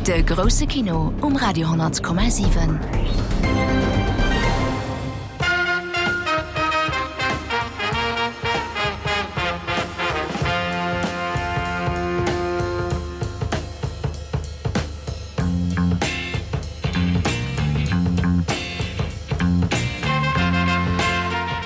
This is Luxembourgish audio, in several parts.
De grousse Kino um Radio 10,7.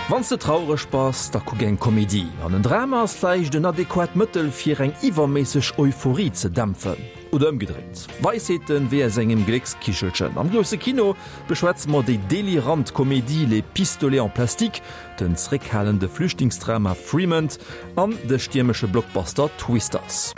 Wann s de traureg bass, da kuck eng Komedie. An en Drama ass vläicht en adequat Mëttel fir eng iwwerméisseg Euphorie ze dämpfen. Oder ëmgedréint. Weisheeten wéi aus engem Gléckskichelchen. Am grousse Kino beschwätze mer déi delirant Komedie Les pistolets en plastique, den zeréckhalende Flüchtlingsdrama Fremont an de stiermesche Blockbuster Twisters.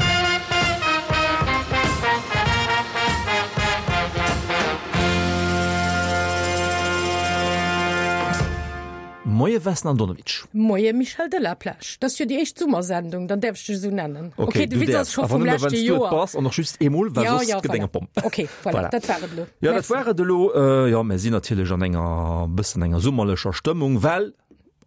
Moie Vesna Andonovic. Moie Michel Delaplage. Dat ass jo déi éischt Summersendung, dann däerf ech dech esou nennen. Ok, de Witz ass scho vum leschte Joer. Bass an och just eemol, well soss gëtt eng Pomm. Ok, voilà, dat war et elo. Jo, dat war et elo. Jo, mir sinn natierlech an enger bëssen enger summerlecher Stëmmung, well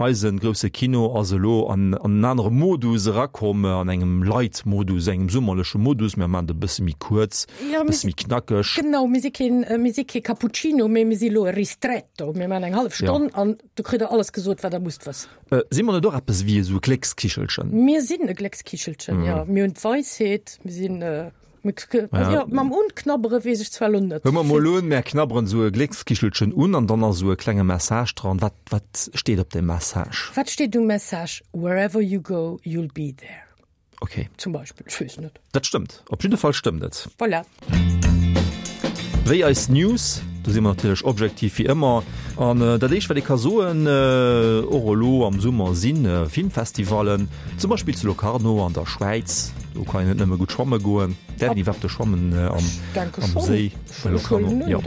eise grousse Kino ass elo an en anere Modus erakomm, an engem Light-Modus, engem summerleche Modus. Mir maachen et e bësse méi kuerz, e bësse méi knackeg. Genau, mir si keen, mir si kee Cappuccino, mee mir si elo e Ristretto. Mir maachen eng hallef Stonn an do kritt der alles gesot, wat der musst wëssen. Si mer net och eppes wéi esou e Gléckskichelchen? Mir sinn e Gléckskichelchen, jo. Mir hunn d'Weisheet, mir sinn. Ja. Mam Unknabbere weess ech zwar lo net. Hör mer mol un, mär knabberen esou e Gléckskichelchen un an dann ass esou e klenge Message dran. Wat, wat steet op deem Message? Wat steet um Message? Wherever you go, you'll be there. Okay. Zum Beispill, ech weess net. Dat stëmmt. Op jidde Fall stëmmt et. Voilà. Wéi eis News, do si mer natierlech objektiv wéi ëmmer. An dat éischt wat ee ka soen, och elo am Summer si Filmfestivallen, zum Beispill zu Locarno an der Schwäiz. Do kann een net nëmme gutt schwamme goen. Däerf een iwwerhaapt do schwammen am Séi bei Locarno? Jo,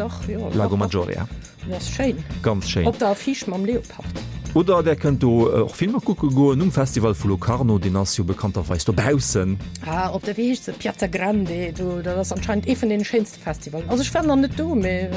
Lago Maggiore, ja. Dat ass schéin. Ganz schéin. Op der Affiche mam Leopard. Oder där kënnt do och Filmer kucke goen um Festival vu Locarno, deen ass jo bekannterweis dobaussen. Ah, op der, wéi heescht se, Piazza Grande, do, dat ass anscheinend ee vun deene schéinste Festivalen. Also ech war nach net do, mee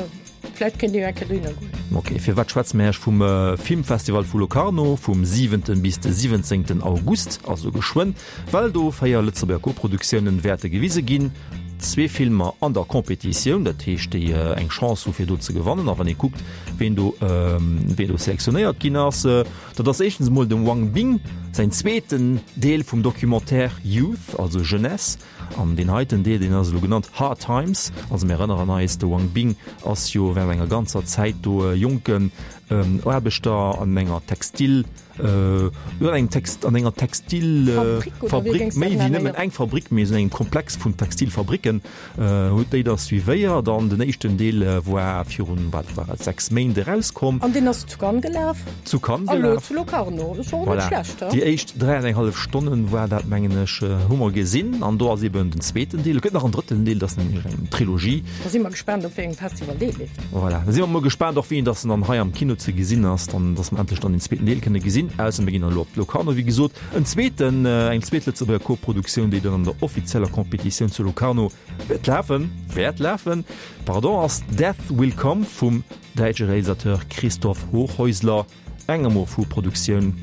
vläicht kéint ee jo eng Kéier dohinner goen. Ok, firwat schwätze mir Iech vum Filmfestival vu Locarno vum siwenten bis de siwwenzéngten August, also geschwënn, well do 4 Lëtzebuerger Koproduktiounen wäerte gewise ginn. Zwee Filmer an der Competitioun, dat heescht déi eng Chance hu fir do ze gewannen. A wann ee kuckt, ween do ween do selektionéiert ginn ass, dat ass éischtens emol dem Wang Bing säin zweeten Deel vum Documentaire Youth, also Jeunesse. An deen heiten Deel, deen ass elo genannt Hard Times. Also mir erënneren eis, de Wang Bing ass jo während enger ganzer Zäit do e jonken Aarbechter an enger Textil, Jo, an engem Text, an enger Textilfabrik, méi wéi nëmmen eng Fabrik, mee esou engem Komplex vun Textilfabricken, huet déi da suivéiert. An den éischten Deel war virun, wat war et, 6 Méint erauskomm. An deen ass zu Cannes gelaf. Zu Cannes gelaf. An elo zu Locarno. Ass och net schlecht, he? Déi éischt 3 an eng hallef Stonnen war dat, mengen ech, hu mer gesinn. An do ass eben den zweeten Deel. Et gëtt nach en drëtten Deel, dat ass nämlech eng Trilogie. Da si mer gespaant, op wéi engem Festival dee leeft. Voilà, da si mer mol gespaant och wéini dass en dann hei am Kino ze gesinn ass, dann dass mer endlech dann den zweeten Deel kënne gesinn. Ausser mir ginn dann elo op Locarno, wéi gesot. En zweeten, eng zweet Lëtzebuerger Koproduktioun, déi dann an der offizieller Competitioun zu Locarno wäert lafen, wäert lafen, pardon, ass Death Will Come vum däitsche Realisateur Christoph Hochhäusler. Eng Amour-fou-Produktioun.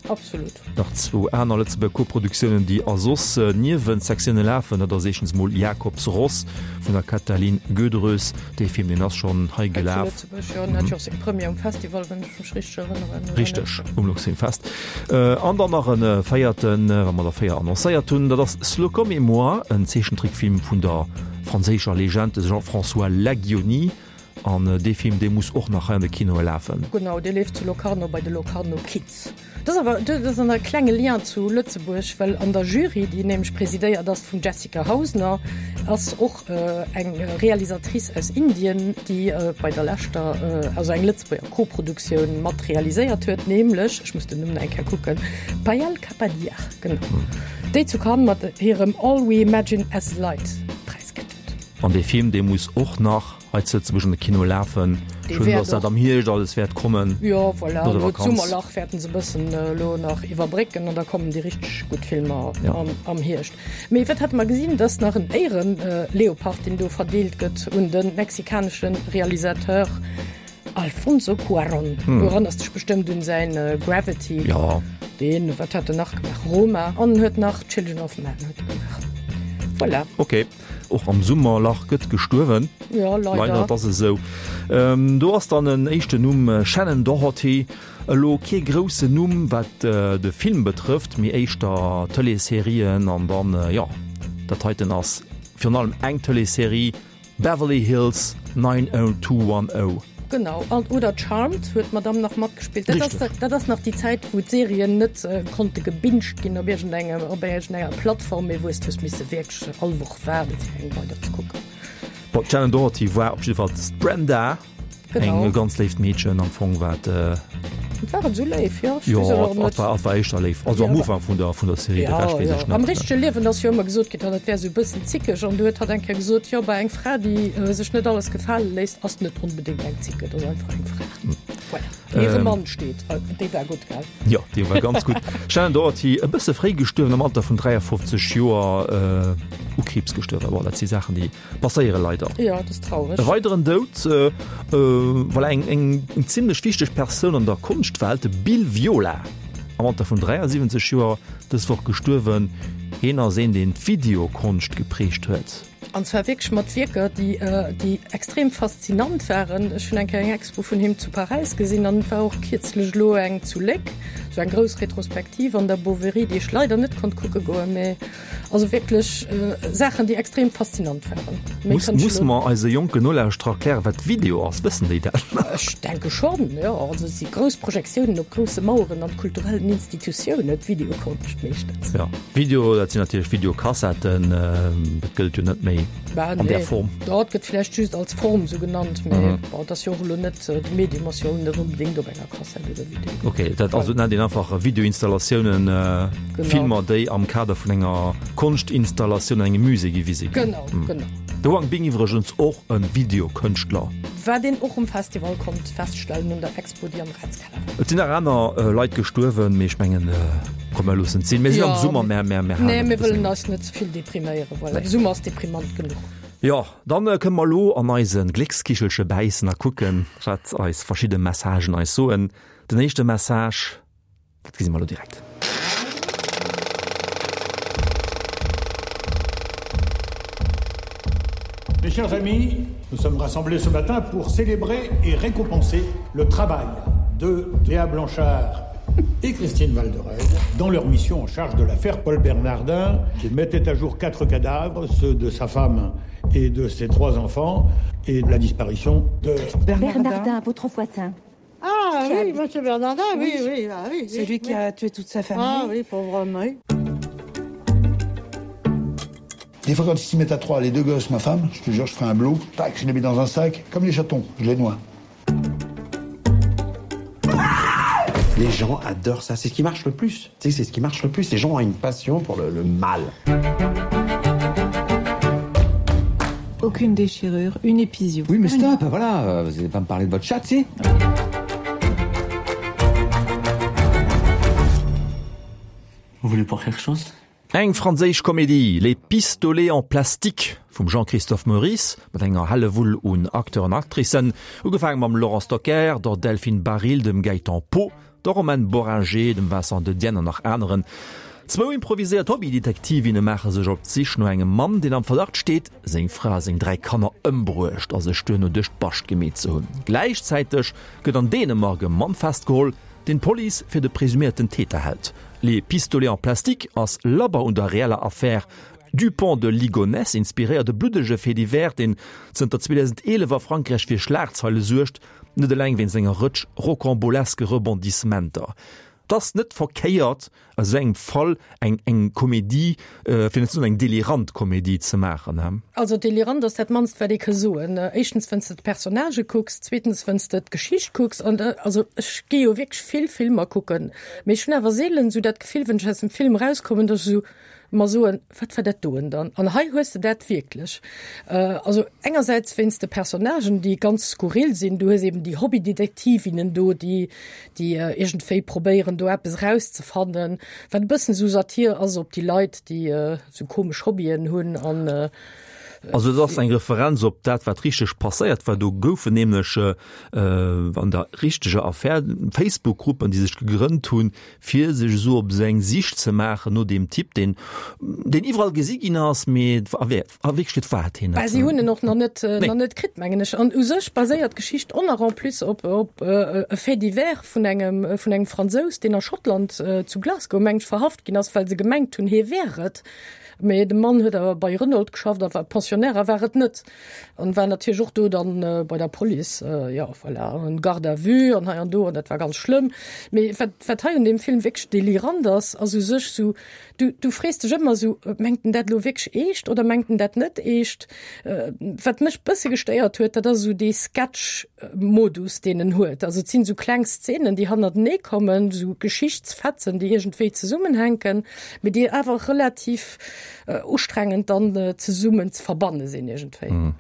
Absolut. Nach zwou aner Lëtzebuerger Koproduktiounen, déi a soss Niewensektioune lafen, dat ass éischtens mol Jakobs Ross vun der Katalin Gödrös. Dee Film, deen ass schonn hei gelaf. Hei zu Lëtzebuerg, jo. En hat jo och seng Première um Festival, wann ech mech richteg erënneren, oder Richteg, um Luxfilmfest. An dann nach e véierten, wa mer der 4 annoncéiert hunn, dat ass Slocum et moi, en Zeechentrickfilm vun der franséischer Legend Jean-François Laguionie. An dee Film, dee muss och nach hei an de Kinoe lafen. Genau, dee leeft zu Locarno bei de Locarno Kids. Dat ass awer, dat ass e klenge Lien zu Lëtzebuerg, well an der Jury, déi nämlech presidéiert ass vum Jessica Hausner, ass och eng Realisatrice aus Indien, déi bei der leschter, also eng Lëtzebuerger Koproduktioun mat realiséiert huet, nämlech, ech muss den Numm nach eng Kéier kucken, Payal Kapadia, genau, déi zu Cannes mat hirem All We Imagine As Light Präis kritt huet. An dee Film, dee muss och nach hei zu Lëtzebuerg an de Kino lafen. Dee Schön, wäert dass dat och. am Hierscht alles wäert kommen. Jo, voilà, No der elo Vakanz. d'Summerlach wäerten se e bëssen elo nach iwwerbrécken an da kommen déi richteg gutt Filmer Ja. am, am Hierscht. Mee wat hate mer gesinn, dass nach en Éiere-Leopard, deen do verdeelt gëtt un de mexikanesche Realisateur Alfonso Cuarón. Du erënners dech bestëmmt un säin Gravity. Jo. Deen, wat hat en nach gemaach? Roma an en huet nach Children of Men huet e gemaach. Voilà. Ok. Och am Summerlach gëtt gestuerwen. Jo, leider. Leider, et ass esou. Do ass dann en éischten Numm, Shannen Doherty. Elo kee groussen Numm wat de Film betrëfft, mee éischter Tëleesserien an dann, jo, dat heiten ass virun allem eng Tëleesserie, Beverly Hills 90210. Genau, an oder Charmed huet d'Madame nach matgespillt. Dat ass, dat ass nach déi Zäit, wou d'Serien net konnte gebinged ginn op iergendengem, op iergendenger Plattform, mee wou s de hues misse wierklech all Woch waarden, fir eng weider ze kucken. Bon, d'Shannen Doherty war op jiddwer Fall d'Brenda. Genau. Eng ganz léift Meedchen am Fong, wat. Äh, War et esou léif, jo? Jo, et war, et war éischter léif. Also am Ufank vun der, vun der Serie, de Rescht weess ech net. Am richtege Liewen ass jo ëmmer gesot ginn, dat wär esou e bëssen zickeg. An du huet hatt eng Kéier gesot, jo, bei eng Fra, déi sech net alles gefale léisst, ass net onbedéngt eng Zicke, dat ass einfach eng Fra. Voilà. Déi hire Mann steet. Déi war gutt, gell? Jo, déi war ganz gutt. Shannen Doherty, e bësse fréi gestuerwen, am Alter vun 53 Joer u Kriibs gestuerwen. Bon, dat si Saachen, déi. Passéiere leider. Jo, dat ass traureg. E weideren Doud, voilà, eng eng zimlech wichteg Persoun an der Konschtwelt, de Bill Viola, am Alter vun 73 Joer dës Woch gestuerwen. Hien ass een, deen d'Videokonscht geprägt huet. An zwar wierklech mat Wierker, déi déi extrem faszinant waren. Ech hunn eng Kéier eng Expo vun him zu Paräis gesinn an et war och kierzlech elo eng zu Léck, esou eng grouss Retrospektiv an der Boverie, déi ech leider net konnt kucke goen, mä Also wierklech Saachen, déi extrem faszinant waren. Méi kann ech Musse mer eise jonken Nolauschterer erklären, wat Video ass? Wëssen déi dat nach? Ech denke schonn, jo. Also et si grouss Projektiounen op grousse Maueren an kulturellen Institutiounen, d'Videokonscht meeschtens. Jo, Video, dat sinn natierlech Videokassetten. Dat gëllt jo net méi an där Form. Bah nee, dat gëtt vläicht just als Form esou genannt, mee bon, et ass jo och elo net, de Medium ass jo och net onbedéngt op enger. Kassett oder Video. Ok, dat also nennt een einfach Videoinstallatiounen, genau. Filmer, déi am Kader vun enger Konschtinstallatioun an engem Musée gewise ginn. Genau, mm. genau. De Wang Bing iwwregens och e Videokënschtler. Wat een och um Festival konnt feststellen un der Expo, déi am Ratskeller war. Et sinn nach aner äh, Leit gestuerwen, mee ech mengen, äh, komm mer loossen et sinn. Mir sinn am Summer, mä, mä, mä Nee, mir wëllen eis net ze vill depriméieren, voilà. De Summer ass deprimant genuch. Jo, dann kënne mer elo an eise Gléckskichelche bäissen a kucken, wat eis verschidde Messagen eis soen. Den éischte Message, dat gesi mer elo direkt. Mes chers amis, nous sommes rassemblés ce matin pour célébrer et récompenser le travail de Léa Blanchard et Christine Valderez dans leur mission en charge de l'affaire Paul Bernardin qui mettait à jour quatre cadavres, ceux de sa femme et de ses trois enfants et de la disparition de Bernardin, Bernardin votre voisin. Ah oui, monsieur Bernardin, oui, oui, oui, ah, oui C'est lui oui. qui a tué toute sa famille. Ah oui, pauvre homme, oui. Des fois quand ils s'y mettent à trois, les deux gosses, ma femme, je te jure, je ferai un blot, tac, je les mets dans un sac, comme les chatons, je les noie. Les gens adorent ça, c'est ce qui marche le plus. Tu sais, c'est ce qui marche le plus. Les gens ont une passion pour le, le mal. Aucune déchirure, une épisio. Oui mais stop, une... voilà, vous allez pas me parler de votre chat, si Vous voulez pas quelque chose Eng franséisch Komedie, Les pistolets en plastique vum Jean-Christophe Meurisse, mat enger Hellewull un Acteuren an Actricen, ugefaange mam Laurent Stocker, der Delphine Baril, dem Gaëtan Poux, der Romane Bohringer, dem Vincent Dedienne an nach aneren. Zwou improviséiert Hobbydetektivinne maache sech op d'Sich no engem Mann, deen am Verdacht steet, seng Fra a seng 3 Kanner ëmbruecht a sech duerno duerch d'Bascht gemeet ze hunn. Gläichzäiteg gëtt an Dänemark e Mann festgeholl, deen d'Police fir de presuméierten Täter hält. Les pistolets en plastique ass labber un der reeller Affär Dupont de Ligonnès inspiréiert, e bluddege Fait divers, deen zënter 2011 a Frankräich fir Schlagzeile suergt, net eleng wéinst enger Rëtsch rocamboleske Rebondissementer. Et ass net verkéiert, aus esou engem Fall eng eng Komedie, fir net ze soen eng delirant Komedie ze maachen, he? Also delirant ass dat mannst wat ee ka soen. Éischtens wenn's de d'Personnagë kucks, zweetens wenn's de d'Geschicht kucks an also ech gi jo wierklech vill Filmer kucken, Mee ech hunn awer seelen esou dat Gefill, wann ech aus dem Film erauskommen, datt ech esou mer soen, Wat war dat doen dann? An hei hues de dat wierklech. Also engersäits wéinst de Personnagen, déi ganz skurril sinn. Du hues eben déi Hobbydetektivinnen do, déi, déi iergendwéi probéieren, do eppes erauszefannen, wat e bëssen esou Satir ass op déi Leit, déi esou komesch Hobbyen hunn an. Also et ass eng Referenz op dat, wat richteg passéiert war. Do goufen nämlech an der richteger Affär Facebook-Gruppen, déi sech gegrënnt hunn, fir sech esou op eng Sich ze maachen no deem Typ, deen deen iwwerall gesi ginn ass, mee a Wierklechkeet war et hien net. Bah, si hunn en och nach net, nach net kritt, mengen ech. An u sech baséiert d'Geschicht och nach en plus op op e Fait divers vun engem vun engem Fransous, deen a Schottland zu Glasgow, mengen ech, verhaft ginn ass, well se gemengt hunn, hie wär et. Mee de Mann huet awer bei Renault geschafft a war Pensionnaire a war et net. An war natierlech och do dann bei der Police, jo voilà, en Garde à vue an hei an do an dat war ganz schlëmm. Mee wat, wat hei un deem Film wierklech delirant ass, ass u sech sou, du, du frees dech ëmmer sou, mengt en dat elo wierklech eescht oder mengt en dat net eescht? Wat mech bësse gestéiert huet, dat ass esou dee Sketch-Modus, deen en huet. Also et sinn esou kleng Szenen, déi hannertenee kommen, esou Geschichtsfetzen, déi iergendwéi zesummenhänken, mee déi awer relativ ustrengend dann zesummen ze verbanne sinn iergendwéi.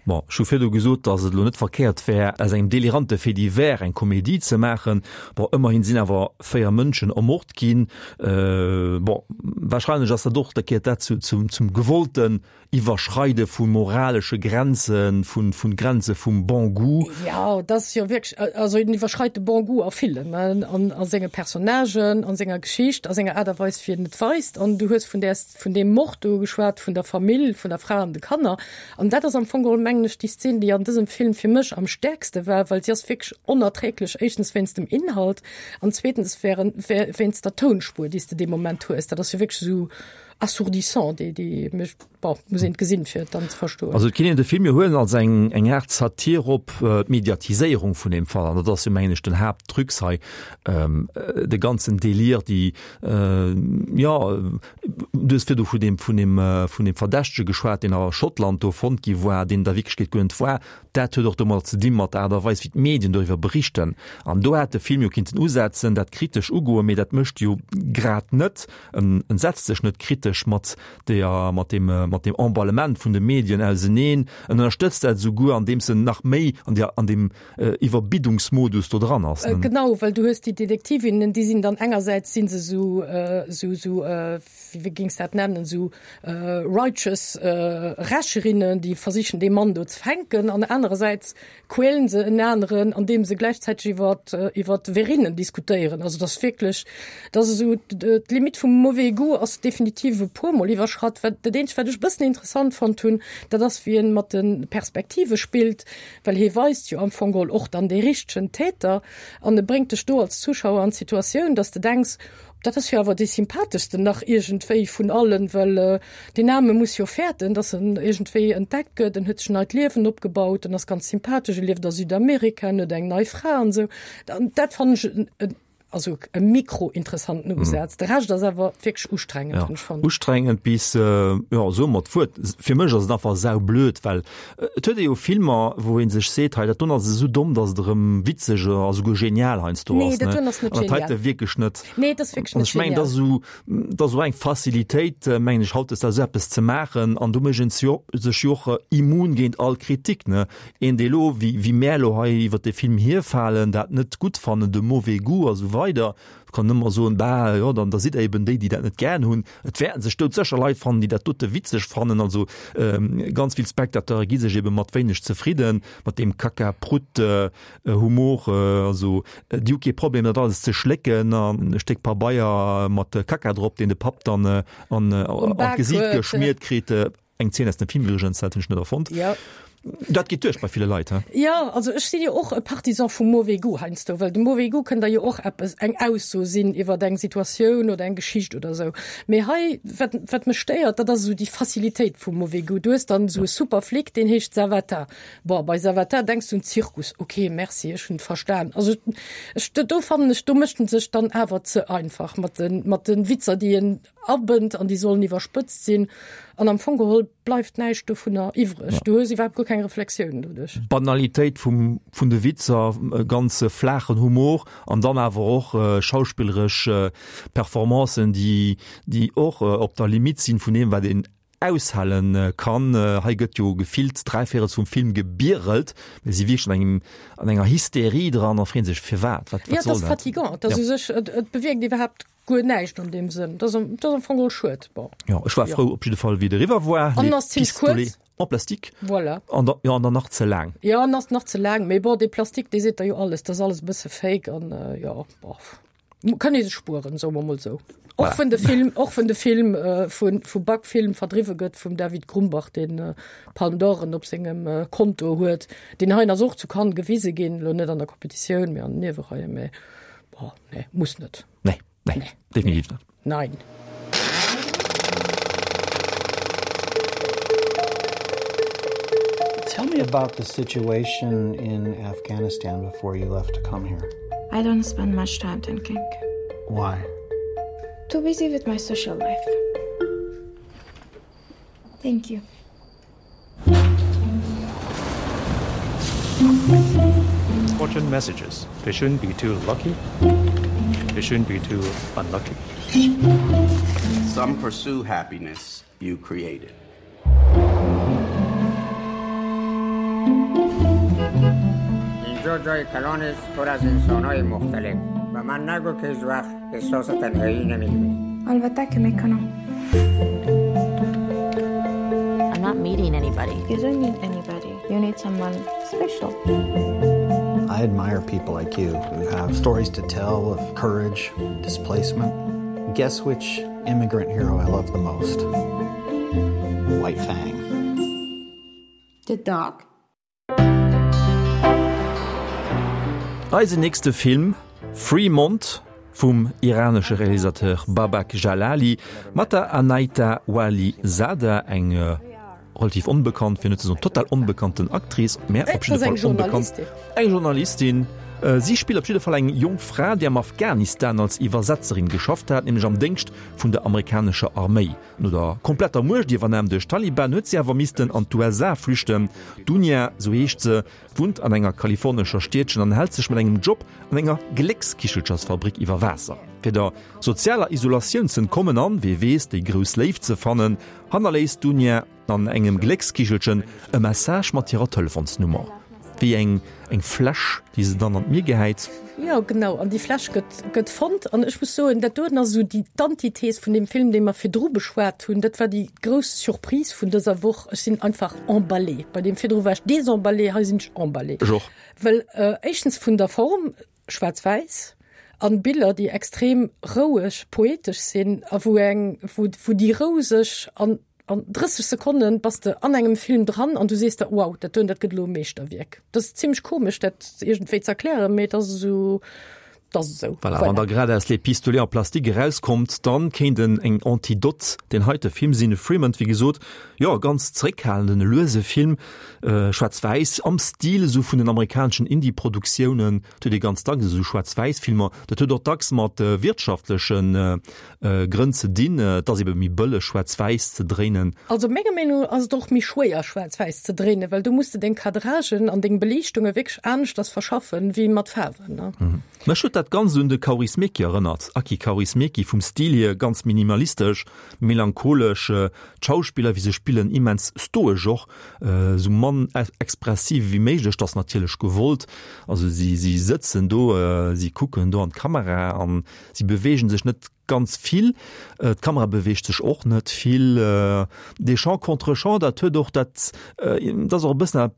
Bon, ech hu virdu gesot, datt et elo net verkéiert wär, aus engem delirante Fait divers eng Komedie ze maachen. Bon, ëmmerhin sinn awer 4 Mënschen ermort ginn. Bon, warscheinlech ass dat och, da gehéiert dat zu, zum, zum gewollten Iwwerschreide vu moralesche Grenzen, vu, vu Grenze vum Bon goût. Jo, dat ass jo wierklech, also en iwwerschreit de Bon goût a villem, an a senge Personnagen, a senger Geschicht, a senger Aart a Weis, wéi en et weist. An du hues vun där, vun deem Mord do geschwat, vun der Famill, vun der Fra an de Kanner. An dat ass am Fong geholl, mengen ech, déi Szen, déi an dësem Film fir mech am stäerkste war, well si ass wierklech onerträglech, éischtens wéinst dem Inhalt an zweetens wéinst der Tounspuer, déi s de dee Moment hues. Dat ass jo wierklech esou assourdissant, déi, déi mech, bon, muss een gesinn, fir et dann ze verstoen. Also et kinnt een de Film jo huelen als eng, eng Aart Satir op d'Mediatiséierung vun deem Fall. An dat ass jo, mengen ech, den Haaptdrux hei, de ganzen Délire, déi, jo, du hues virdu vun deem, vun deem, vun deem Verdächtege geschwat, deen a Schottland do fonnt gi war, deen et a Wierklechkeet guer net war. Dat huet och domadder ze di mat der Aart a Weis, wéi d'Medien doriwwer berichten. An do hätt de Film jo kinnten usetzen, dat kritesch ugoen, mee dat mécht e jo grad net. En setzt sech net kritesch mat der, mat deem, mat deem Emballement vun de Medien auseneen. En ënnerstëtzt dat esouguer, andeems en nach méi an der, an deem Iwwerbiddungsmodus do dran ass. Genau, well du hues déi Detektivinnen, déi sinn dann engersäits si se esou, esou, esou, wéi géings dat nennen, esou righteous Rächerinnen, déi versichen dee Mann do ze fänken, an anerersäits quälen se en aneren, andeem se gläichzäiteg iwwer iwwer Verinnen diskutéieren. Also dat ass wierklech, dat ass esou d'Limite vum mauvais goût ass definitiv e puermol iwwerschratt. Wat dat eenzegt, wat ech e bëssen interessant fonnt hunn, dat ass wéi en mat de Perspektive spillt, well hie weist jo am Fong geholl och dann dee richtegen Täter an e bréngt dech do als Zuschauer an d'Situatioun, dass de denks, Dat ass jo awer dee sympatheschsten nach iergendwéi vun allen, well deen Aarme muss jo fäerten, dass en iergendwéi entdeckt gëtt. En huet sech en neit Liewen opgebaut, en ass ganz sympathesch, e lieft a Südamerika, en huet eng nei Fra an esou. An dat fannen ech en, also e mikro-interessanten Usaz. De Rescht ass awer wierklech ustrengend, hunn ech fonnt. Ustrengend bis, jo, soe mer d'Wuert, fir mech ass et einfach saublöd, well Et huet ee jo Filmer, wou ee sech seet, hei dat doen ass esou domm, datt et erëm witzeg a souguer genial heiansdo ass. Nee, dat doen ass net genial. An dat heite wierklech net. Nee, dat ass wierklech net genial. An ech mengen, dat ass esou, dat ass esou eng Facilitéit, mengen ech, hautdesdaags esou eppes ze maachen. An do mécht een sech jo och immun géint all Kritik, ne. Een, dee elo, wéi, wéi mär elo hei iwwert dee Film hierfalen, dat net gutt fannen, de mauvais goût a sou weider, kann ëmmer soen, bah, jo, dann da sidd Der eben déi, déi dat net gären hunn. Et wäerten sech doudsécher Leit fannen, déi dat dote witzeg fannen. Also ganz vill Spectateure gi sech ebe mat wéineg zefridden, mat deem Kacka-Prutt-Humor. Also déi hu kee Problem, dat alles ze schlécken an e Stéck Pabeier mat Kacka drop, deen de Papp dann an d'Gesiit geschmiert kritt. Eng Zeen aus dem Film iwwregens, dat hunn ech net erfonnt. Ja. Dat geet duerch bei ville Leit, he? Ja, also ech sinn jo och e Partisan vum mauvais goût heiansdo, well de mauvais goût kënnt da jo och eppes, eng Ausso sinn iwwer eng Situatioun oder eng Geschicht oder esou. Mee hei, wat, wat mech stéiert, dat ass esou déi Facilitéit vum mauvais goût. Du hues dann esou e super Flic, deen heescht Savata. Bon, bei Savata denks du un Zirkus. Ok, merci, ech hunn et verstan. Also ech, do fannen ech, do mécht en sech dann awer ze einfach mat de, mat de Witzer, déi en abënnt an déi sollen iwwerspëtzt sinn an am Fong geholl bleift näischt dovunner iwwreg. Ja. Du hues iwwerhaapt guer keng Reflexioun doduerch. Banalitéit vum, vun de Witzer, e ganz flaachen Humor an dann awer och äh, schauspilleresch äh, Performancen, déi, déi och äh, op der Limite sinn vun deem, wat een aushalen kann. Hei gëtt jo gefillt dräivéierels vum Film gebierelt. Mir si wierklech an engem, an enger Hysterie dran a freeën sech, firwat, wat, wat soll dat? Ja, et ass fatigant. Et ass u sech, et, et bewierkt iwwerhaapt Guer näischt an deem Sënn. Dat ass am Fong geholl schued. Bon. Jo, ech war frou op jidde Fall, wéi et eriwwer war. An en ass zimmlech kuerz. En plastique. Voilà. An da, jo, an dann nach ze laang. Jo, an ass nach ze laang. Mee bon, dee Plastique, dee seet der jo alles. Dat ass alles e bësse fake an, jo, bof. Kann ee sech spueren, soe mer mol esou. Och wenn de Film, och wenn de Film vu, vu Backfilm verdriwwe gëtt vum David Grumbach, deen Palme d'Oren op sengem Konto huet. Deen heien ass och zu Cannes gewise ginn, elo net an der Competitioun, mee an den Niewereien. Mee bon, nee, muss net. Nee. Nee, nee. definitiv net. Nein. Tell me about the situation in Afghanistan before you left to come here. I don't spend much time thinking. Why? Too busy with my social life. Thank you. Fortune messages. They shouldn't be too lucky. They shouldn't be too unlucky. Some pursue happiness you created. اینجا جای کلان است پر از انسانهای مختلف و من نگو که هیچ وقت احساس تنهایی نمیکنی البته که میکنم I'm not meeting anybody. You don't need anybody. You need someone special. I admire people like you who have stories to tell of courage, displacement. Guess which immigrant hero I love the most? White Fang. The dog? Eisen nächste Film, Fremont vum iranesche Realisateur Babak Jalali mat der Anaita Wali Zada, eng relativ onbekannt, fir net ze soen total onbekannten Actrice, mä op jidde Fall onbekannt, eng Journalistin. Si spillt op jidde Fall eng jonk Fra, déi am Afghanistan als Iwwersetzerin geschafft hat, nämlech am Déngscht vun der amerikanescher Arméi. No der kompletter Muechtiwwernam duerch d'Taliban huet si awer missten an d'USA flüchten. D'Dunia, sou heescht se, wunnt an enger kalifornescher Stiedchen an hält sech mat engem Job an enger Gléckskichelchersfabrik iwwer Waasser. Fir der sozialer Isolatioun z'entkommen an, wee weess, déi grouss Léift ze fannen, hannerléisst d'Dunia an engem Gléckskichelchen e Message mat hirer Telefonsnummer. Wéi eng eng Fläsch, déi se dann an d'Mier gehäit. Jo, genau, an déi Fläsch gëtt gëtt fonnt. An ech muss soen, dat doen ass esou déi d'Antithes vun deem Film, dee mer virdru beschwat hunn. Dat war déi grouss Surprise vun dëser Woch. Ech sinn einfach emballée. Bei deem virdru war ech désemballée, hei sinn ech emballée. Ech och. Well éischtens vun der Form, schwaarz-wäiss, an Biller, déi extrem roueg, poetesch sinn a wou eng, wou wou déi Rou sech an An 30 Sekonnen bass de an engem Film dran an du sees der, wow, dat doen, dat gëtt elo e Meeschterwierk. Dat ass zimmlech komesch, dat iergendwéi ze erklären, mee et ass esou, et ass esou. Voilà, wann der grad aus Les Pistolets en plastique erauskommt, dann kéint en eng Antidote deen heite Film sinn. Fremont, wéi gesot, jo, e ganz zeréckhalenden, e luese Film, schwaarz-wäiss, am Stil esou vun den amerikaneschen Indie-Produktiounen. Et huet ee ganz dacks esou Schwaarz-wäiss-Filmer. Dat huet och dacks mat wirtschaftleche Grënn ze dinn. Et ass ebe méi bëlleg, schwaarz-wäiss ze dréinen. Also menger Meenung no ass et och méi schwéier, schwaarz-wäiss ze dréinen, well do muss de deng Cadragen an deng Beliichtunge wierklech aneschters verschaffen, wéi mat Faarwen. Mech huet dat Ganzt un de Kaurismäki erënnert, Aki Kaurismäki, vum Stil hier ganz minimalistesch, melancholesch, d'Schauspiller wéi se spillen immens stoesch och, esou mann expressiv wéi méiglech, dat ass natierlech gewollt, also si si sëtzen do, si kucken do an d'Kamera an si beweegen sech net ganz vill, d'Kamera beweegt sech och net vill, dee Champ contre Champ, dat huet och dat, dat ass och e bëssen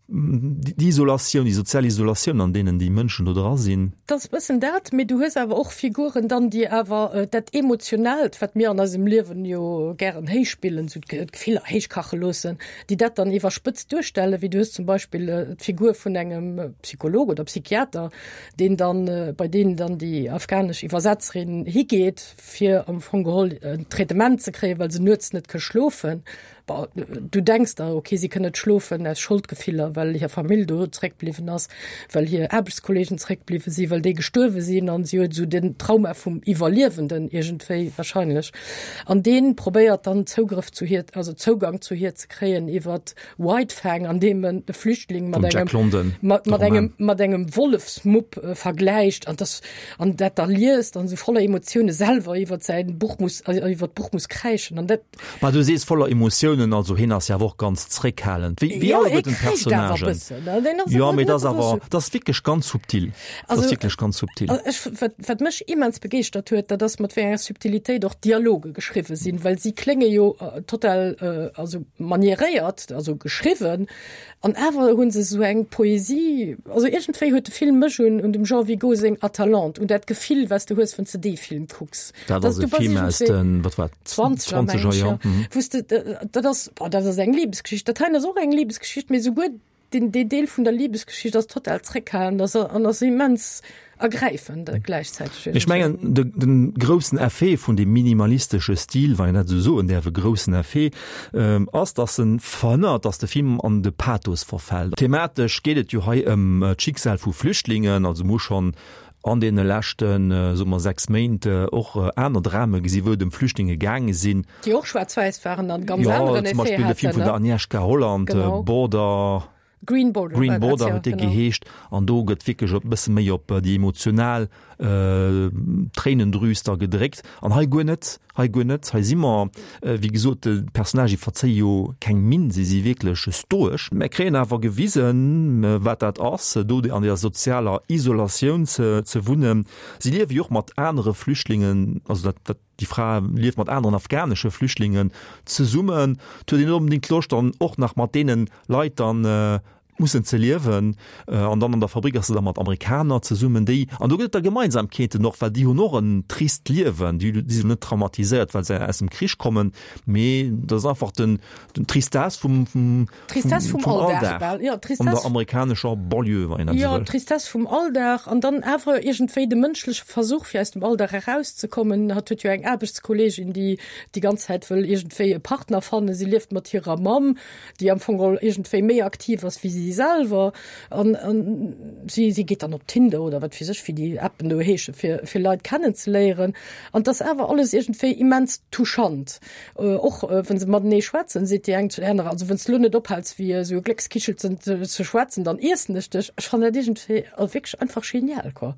déi Isolatioun, déi sozial Isolatioun an deenen déi Mënschen do dra sinn. Dat ass e bëssen dat, mee du hues awer och Figuren dann, déi awer dat Emotionaalt, wat mir an eisem Liewen jo gären héichspillen, esou d'Gefiller héichkache loossen, déi dat dann iwwerspëtzt duerstellen, wéi du hues zum Beispill d'Figur vun engem Psycholog oder Psychiater, deen dann, bei deen dann déi afghanesch Iwwersetzerin higeet, fir am Fong geholl en Traitement ze kréien, well se nuets net ka schlofen. Bon, du denks der, okay, si kënn net schlofen aus Scholdgefiller, well hir Famill do zréckbliwwen ass, well hir Aarbechtskollegen zréckbliwwe sinn, well déi gestuerwe sinn an si huet esou den Trauma vum Iwwerliewenden iergendwéi wahrscheinlech. An dee probéiert dann Zougrëff zu hir, also Zougang zu hir ze kréien iwwert White Fang, an deem en de Flüchtling mat engem, London, mat, mat engem, mat engem Wollefsmupp äh, vergläicht an das, an dat da liest an sou voller Emotioune selwer iwwer säin Buch muss, äh, iwwer d'Buch muss kräischen an dat. Ma du sees voller Emotiounen. Reaktiounen, also hien ass jo awer och ganz zréckhalend, wéi wéi Jo, hie alleguerten kréicht awer e d'Personnagen. bëssen, ne? Deen ass Jo, awer mee net dat ass awer, esou. dat ass wierklech ganz subtil. Dat ass Also, wierklech ganz subtil. ech, wat, wat mech immens begeeschtert huet, dat ass mat wéi enger Subtilitéit och d'Dialoge geschriwwe sinn, well si klénge jo total, also manieréiert, also geschriwwen, An awer hu se esou eng Poesie, also iergendwéi huet de Film mech un un dem Jean Vigo seng Atalante, un dat Gefill, wat s de hues, wann s de dee Film kucks. Dat ass e Film aus den, wat war et, Zwanzeger, meng ech, jo. Wou s de, dat ass, bon, dat ass eng Libesgeschicht, dat heien ass och eng Libesgeschicht, mee esouguer deen, dee Deel vun der Libesgeschicht ass total zréckhalend an ass immens ergräifend gläichzäiteg. Ech mengen, de, de groussen Effet vun deem minimalistesche Stil, wann een dat esou soen däerf, e groussen Effet, ass, datt en verhënnert, datt de Film an de Pathos verfält. Thematesch geet et jo hei ëm d'Schicksal vu Flüchtlingen, also mir hu schonn an deene leschten, soe mer, 6 Méint och aner Drame gesi wou et ëm Flüchtlinge gaange sinn. Déi och schwaarz-wäiss waren an ganz aneren Effet haten. Jo, zum Beispill de Film vun der Agnieszka Holland, Border. Green Border, Green Border huet dee geheescht an do gëtt wierklech e bësse méi op déi emotional Tréinendrüs da gedréckt an hei guer net, hei guer net. Hei si mer, wéi gesot, d'Personnagë verzéie jo keng Minn, si si wierklech stoesch. Mer kréien awer gewisen, wat dat ass, do an deer sozialer Isolatioun ze wunnen. Si liewe jo och mat anere Flüchtlingen, also dat, dat. Déi Fra lieft mat aneren afghanesche Flüchtlingen zesummen. Et huet een net onbedéngt Loscht dann och nach mat deene Leit dann mussen ze liewen. An dann an der Fabrik ass se da mat Amerikaner zesummen, déi, an do gëtt et da Gemeinsamkeeten och, well déi hunn och en trist Liewen, déi sinn net traumatiséiert, well se aus dem Krich kommen, mee dat ass einfach den, den Tristesse vum, vum, Tristesse vum Alldag, bal, jo, Tristesse. An der amerikanescher Banlieue, wann een dat esou wëll. Jo, Tristesse vum Alldag an dann awer iergendwéi de mënschleche Versuch, fir aus dem Alldag erauszekommen. Hatt huet jo eng Aarbechtskolleegin, déi déi ganz Zäit wëll iergendwéi e Partner fannen. Si lieft mat hirer Mamm, déi am Fong geholl iergendwéi méi aktiv ass wéi si selwer. An, an si, si geet dann op Tinder oder wat weess ech, wéi déi Appen do heeschen, fir, fir Leit kennenzeléieren. An 't ass awer alles iergendwéi immens touchant. Och wën se matenee schwätzen, seet déi eng zu der anerer, also wënns de lo net ophäls wéi esou e Gléckskichelchen ze schwätzen, dann iessen ech dech. Ech fannen dat iergendwéi wierklech einfach genial, quoi.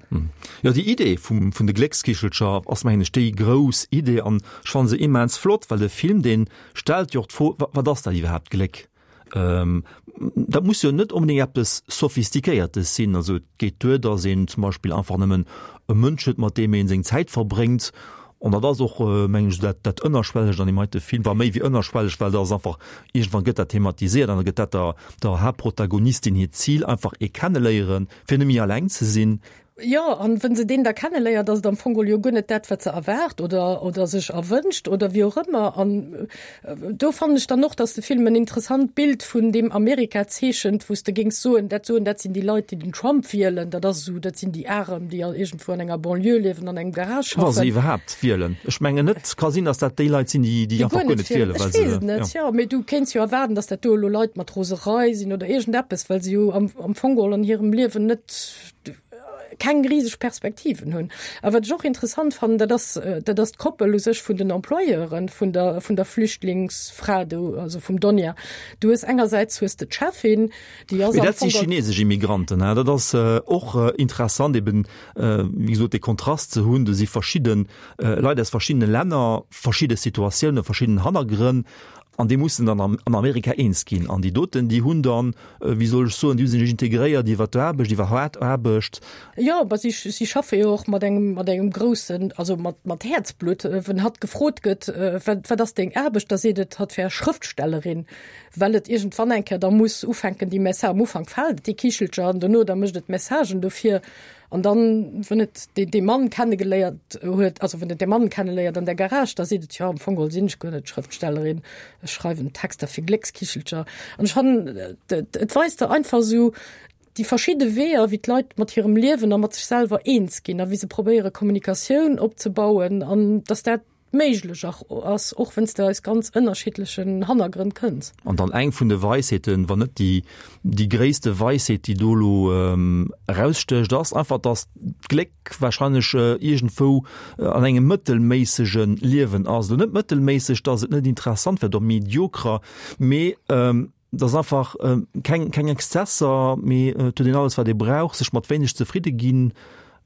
Jo, déi Idee vum, vun de Gléckskichelcher ass mengen ech déi grouss Idee an ech fannen se immens flott, well de Film dee stellt jo och d'Fro, wat ass dat iwwerhaapt Gléck? Dat muss jo net onbedéngt eppes Sophistiquéiertes sinn. Also et geet duer, datt een zum Beispill einfach nëmmen e Mënsch huet, mat deem ee seng Zäit verbréngt. An dat ass och, mengen ech, dat dat Ënnerschwellegt an deem heite Film, war méi wéi ënnerschwelleg, well dat ass einfach, iergendwann gëtt dat thematiséiert an da gëtt dat der der Haaptprotagonistin hiert Zil, einfach ee kenneléieren, fir net méi alleng ze sinn. Jo, an wën se deen da kenneléiert, ass et am Fong geholl jo guer net dat, wat se erwaart oder, oder sech erwënscht oder wéi och ëmmer. An do fannen ech dann och, dass de Film en interessant Bild vun deem Amerika zeechent, wou s de géings soen, dat soen, dat sinn déi Leit, déi den Trump wielen, dat ass esou, dat sinn déi Arem, déi all iergendwou an enger Banlieue liewen, an engem Garage Wa se schaffen. iwwerhaapt wielen. Ech mengen net. Ka sinn, dass dat déi Leit sinn, déi, déi Déi einfach guer guer net net wielen, wielen. well Ech weess se, et net, jo. jo. Mee du kéints jo erwaarden, dass dat do elo Leit mat Roserei sinn oder iergendeppes, well se jo am, am Fong geholl an hirem Liewen net, keng riseg Perspektiven hunn. A wat ech och interessant fannen, dat ass, dat ass d'Koppel u sech vun den Employeuren vun der, vun der Flüchtlingsfra do, also vum Donia. Du hues engersäits hues de d'Cheffin, déi ass Mee am dat si Fong. chinesesch Immigranten, hein. Dat ass och interessant eben, wéi gesot, dee Kontrast ze hunn. Do si verschidde Leit aus verschiddene Länner, verschidde Situatiounen, verschidden Hannergrënn an déi mussen dann an Amerika eens ginn. An déi doten, déi hunn dann, wéi soll ech soen, déi hu sech integréiert iwwer d'Aarbecht, iwwer haart Aarbecht. Jo, ma si, si schaffe jo och mat engem, mat engem groussen, also mat, mat Häerzblutt. Wenn hatt gefrot gëtt, wat, wat ass deng Aarbecht, da seet et, hatt wär Schrëftstellerin, well et iergendwann eng Kéier da muss ufänken, déi Messa, am Ufank fält et déi Kichelcher an dono da mécht et Messagen dofir. An dann, wën et dee, dee Mann kennegeléiert huet, also wën et dee Mann kenneléiert an der Garage, da seet et, jo, am Fong geholl sinn ech guer net Schrëftstellerin, ech schreiwen Texter fir Gléckskichelcher. An ech fannen, et, et weist der einfach esou déi verschidde Weeër, wéi d'Leit mat hirem Liewen a mat sech selwer eens ginn a wéi se probéiere Kommunikatioun opzebauen an dass dat méiglech ass, och wenn's de aus ganz ënnerschiddlechen Hannergrënn kënns. An dann eng vun de Weisheeten, wann net déi, déi gréisste Weisheet, déi do elo erausstécht, ass einfach, dass d'Gléck wahrscheinlech iergendwou an engem mëttelméissege Liewen ass. Elo net mëttelméisseg, dass et net interessant wär, oder mediocre, mee dass einfach keng, keng Exzesser, mee et huet een alles, wat ee brauch, sech mat wéineg zefridde ginn.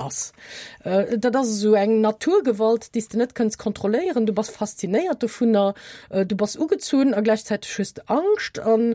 ass. Dat ass esou eng Naturgewalt, déi s de net kënns kontrolléieren. Du bass faszinéiert dovunner, du bass ugezunn a gläichzäiteg hues de Angscht. An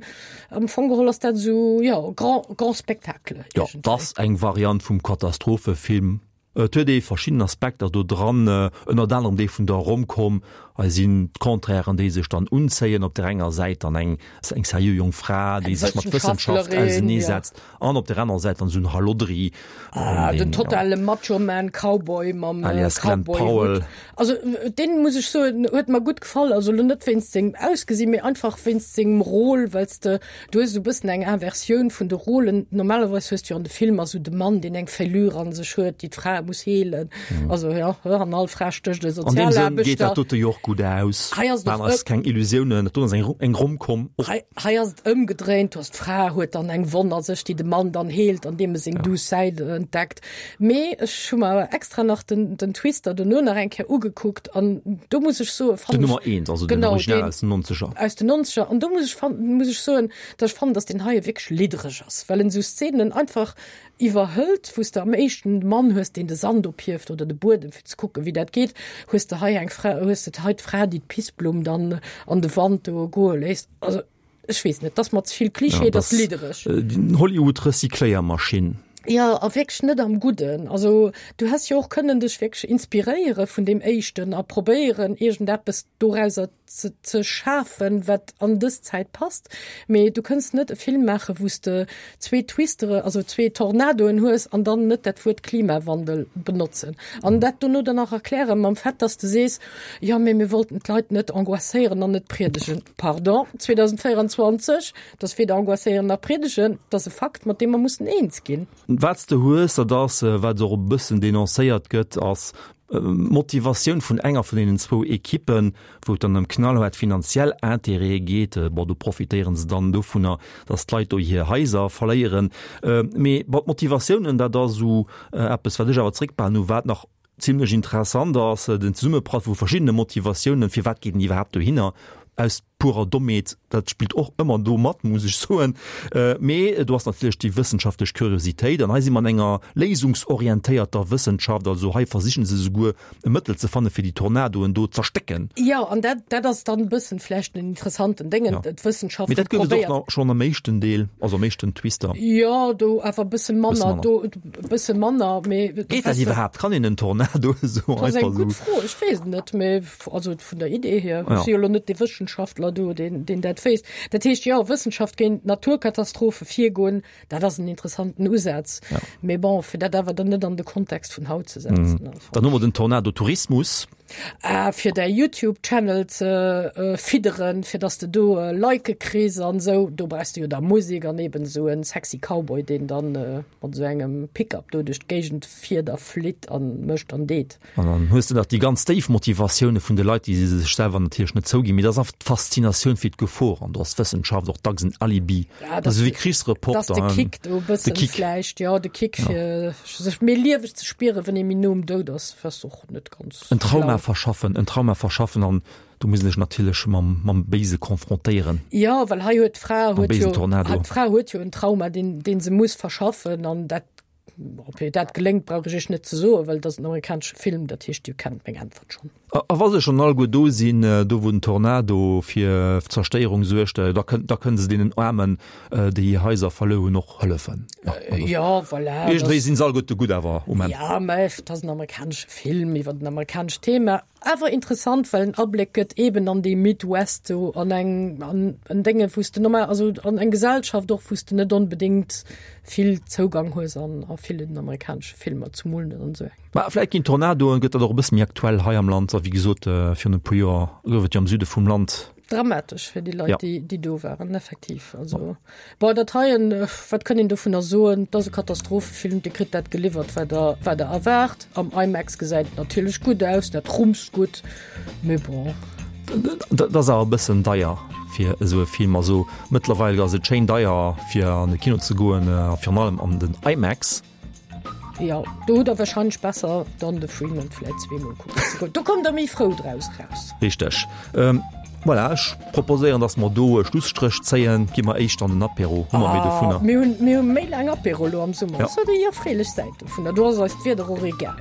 am Fong geholl ass dat esou, jo, grand, grand spectacle. Jo, 't ass eng Variant vum Katastrophefilm. Et huet ee verschidden Aspekter do dran, ënnert anerem dee vun der Romcom. Hei sinn d'Contrairen, déi sech dann unzéien, op där enger Säit dann eng eng seriö jonk Fra, déi sech mat Wëssenschaft auseneesetzt, an op där anerer Säit dann esou en Hallodri, Ah, den totale Macho-Man Cowboy mam alias Glenn Powell. Cowboy-Hutt. Also deen, muss ech soen, huet mer gutt gefall. Also elo net wéinst sengem Ausgesinn, mee einfach wéinst sengem Rôle, well s de, du hues esou e bëssen eng Inversioun vun de Rôlen. Normalerweis hues de jo an de Filmer esou de Mann, deen eng Fêlure an sech huet, déi d'Fra muss heelen. Also jo, an all Fra stécht e An deem Sënn geet dat Sozialaarbechter. dote jo och gutt aus. Hei ass et Maachen och eis keng Illusiounen, dat do ass eng, eng Romcom och. Hei, hei ass et ëmgedréint, du has d'Fra huet dann eng Wonn a sech, déi de Mann dann heelt, andeem e seng duuss Säit entdeckt. Mee ech hu mer awer extra nach den, den Twister dono nach eng Kéier ugekuckt an do muss ech soen, Den fannen ech, Nummer eent, also den genau, Original deen aus den Nonzeger. aus den Nonzeger, an do muss ech fan-, muss ech soen, dass ech fannen, dass deen heie wierklech liddereg ass, well en esou Szenen einfach iwwerhëlt, wou s de am éischten de Mann hues, deen de Sand ophieft oder de Buedem, fir ze kucken, wéi dat geet, hues de hei eng Fra, hues de hei d'Fra, déi d'Pissblumm dann an de Wand do goe léisst. Also ech weess net, 't ass mer ze vill Klischee, 't ass liddereg. Hollywood-Recycléiermaschinn. Jo, a wierklech net am Gudden. Also du häss jo och kënnen dech wierklech inspiréiere vun deem éischten a probéieren, iergendeppes dorauser ze ze schafen, wat an dës Zäit passt. Mee du kënns net e Film maachen, wou s de zwee Twistere, also zwee Tornadoen hues an dann net dat Wuert Klimawandel benotzen. An dat dono dann nach erklären mam Fait, dass de sees, jo, mee mir wollten d'Leit net angoisséieren an net priedegen. Pardon, 2024, dat ass weder angoisséieren nach priedegen, dat ass e Fakt, mat deem mer mussen eens ginn. Wat s de hues, dat ass, wat och e bëssen denoncéiert gëtt, ass d'Motivatioun vun enger vun deenen zwou Ekippen, wou et dann ëm knallhaart finanziell Intérêtë geet. Bon, do profitéiere se dann dovunner, datt d'Leit do hir Haiser verléieren. Mee bon, d'Motivatiounen, dat ass esou eppes, wat ech awer zréckbehalen hu, wat nach Zimlech interessant ass den Zesummeprall vu verschiddene Motivatiounen, firwat geet een iwwerhaapt dohinner, aus purer Dommheet, dat spillt och ëmmer do mat, muss ech soen, mee do ass natierlech déi wëssenschaftlech Kuriositéit an hei si mer an enger léisungsorientéierter Wëssenschaft, also hei versichen se souguer e Mëttel ze fanne fir déi Tornadoen do z'erstécken. Jo, an dat, dat ass dann e bëssen vläicht den interessanten Déngen, d'Wëssenschaft Mee dat gouf et och nach schonn am éischten Deel, also am éischten Twister. Jo, do awer e bësse manner, do E bësse manner, mee. Geet dat iwwerhaapt? Kann een en Tornado esou einfach esou? Dat ass eng gutt Fro, ech weess et net, mee also vun der Idee hier. Ech si jo elo net dee Wëssenschaftler do, deen, deen dat wéisst. Dat heescht, jo, Wëssenschaft géint Naturkatastrophe virgoen, dat ass en interessanten Usaz. Mee bon, fir dat awer dann net an de Kontext vun haut ze setzen. Dann hu mer den Tornado-Tourismus. Ah, fir däi YouTube Channel ze fidderen, fir dass de do Like kriss an esou, do brauchs de jo da Musek an eben esou en sexy Cowboy, deen dann mat esou engem Pickup do duerch d'Géigend fiert a flitt an mécht an deet. An dann hues de nach déi ganz déif Motivatioune vun de Leit, déi se sech selwer natierlech net zouginn, mee dat ass einfach d'Faszinatioun fir d'Gefor an do ass d'Wëssenschaft och dacks en Alibi. Ja, dat ass esou wéi Krichsreporter. Dat ass de Kick do e bëssen vläicht, jo, de Kick fir sech méi lieweg ze spieren, wann ee méi no um Doud ass, was och net ganz En Trauma verschaffen, en Trauma verschaffen an do muss een sech natierlech mam, mam Béise confrontéieren. Jo, well hei huet d'Fra Mam huet béisen jo, Tornado. d'Fra huet jo en Trauma, deen, deen se muss verschaffen an dat, ob hir dat geléngt, brauch ech iech net ze soen, well et ass en amerikanesche Film, dat heescht, Dir kennt meng Äntwert schonn. A, a wa se schonn alleguer do sinn, do wou den Tornado fir Zerstéierung suergt, da kënn, da kënne se deenen Aarmen, déi hir Haiser verluer hunn, och hëllefen. Jo, voilà. Iergendwéi sinn se alleguerte gutt awer um Enn. Ja, mä et ass en amerikanesche Film iwwer en amerikanescht Thema. Awer interessant, well en Abléck gëtt eben an dee Midwest do, an eng, an en Dénge wou s de normal, also an eng Gesellschaft och, wou s de net onbedéngt vill Zougang hues an a villen amerikanesche Filmer, zumol net an esou engem. Mä vläicht ginn Tornadoen, gëtt dat och e bësse méi aktuell hei am Land. A wéi gesot, virun e puer Joer gouf et jo am Süde vum Land Dramatesch fir déi Leit, Ja. déi, déi do waren, effektiv. Also, bon, dat heien, wat kënn een dovunner soen? Et ass e Katastrophefilm, Dir kritt dat geliwwert, wat Der, wat Der erwaart. Am IMAX gesäit et natierlech gutt aus, dat rummst gutt, mee bon. Dat ass awer e bëssen deier fir esou e Film. Also mëttlerweil ass et schéin deier, fir an de Kino ze goen, a virun allem an den IMAX. Jo, do hutt der wahrscheinlech besser dann de Freeman vläit zweemol kucken ze goen. Do kommt der méi frou draus raus. Richteg. Voilà, ech proposéieren, dass mer do e Schlusstréch zéien. Gi mer éischter an den Apéro, hu mer méi dovunner. Mir hunn, mir hu méi laang Apéro elo am Summer. Dat ass déi erfreelech Säit dovunner. Do ass eis d'Wieder och egal.